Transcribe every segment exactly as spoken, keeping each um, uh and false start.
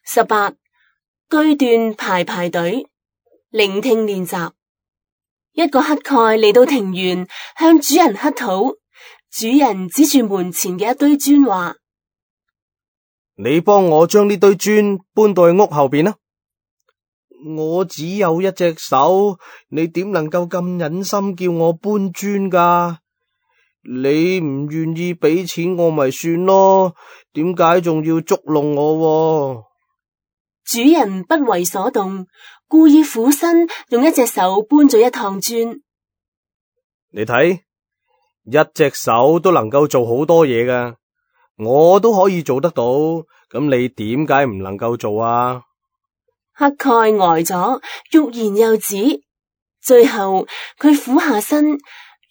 十八，句段排排隊，聆聽練習。一個乞丐嚟到庭園，向主人乞討。主人指住門前嘅一堆磚話：你幫我將呢堆磚搬到去屋後邊啦。我只有一隻手，你點能夠咁忍心叫我搬磚噶？你唔願意俾錢我咪算咯，點解仲要捉弄我？主人不為所動，故意俯身用一隻手搬咗一趟磚。你睇，一隻手都能夠做好多嘢噶，我都可以做得到，咁你點解唔能夠做啊？乞丐呆咗，欲言又止，最後佢俯下身，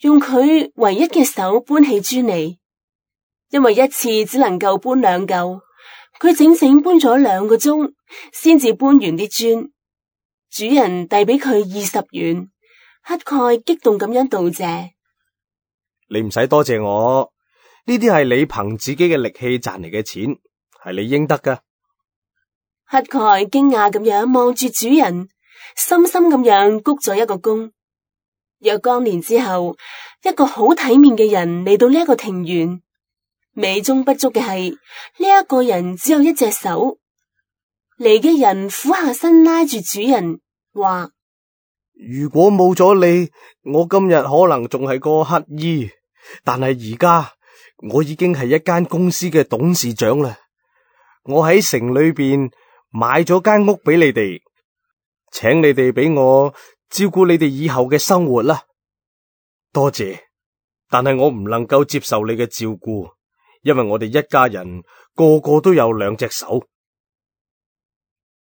用佢唯一嘅手搬起磚嚟。因為一次只能夠搬兩嚿，佢整整搬咗兩個鐘，先至搬完啲磚。主人遞俾佢二十元，乞丐激動咁樣道謝。你唔使多謝我，呢啲係你憑自己嘅力氣賺嚟嘅錢，係你應得噶。乞丐驚訝咁樣望住主人，深深咁樣鞠咗一個躬。若干年之後，一個好體面嘅人嚟到呢一個庭園，美中不足嘅係呢一個人只有一隻手。嚟嘅人俯下身拉住主人，話：如果冇咗你，我今日可能仲係個乞兒，但係而家我已經係一間公司嘅董事長啦。我喺城裏邊買咗間屋俾你哋，請你哋俾我照顧你哋以後嘅生活啦。多謝，但係我唔能夠接受你嘅照顧，因為我哋一家人個個都有兩隻手。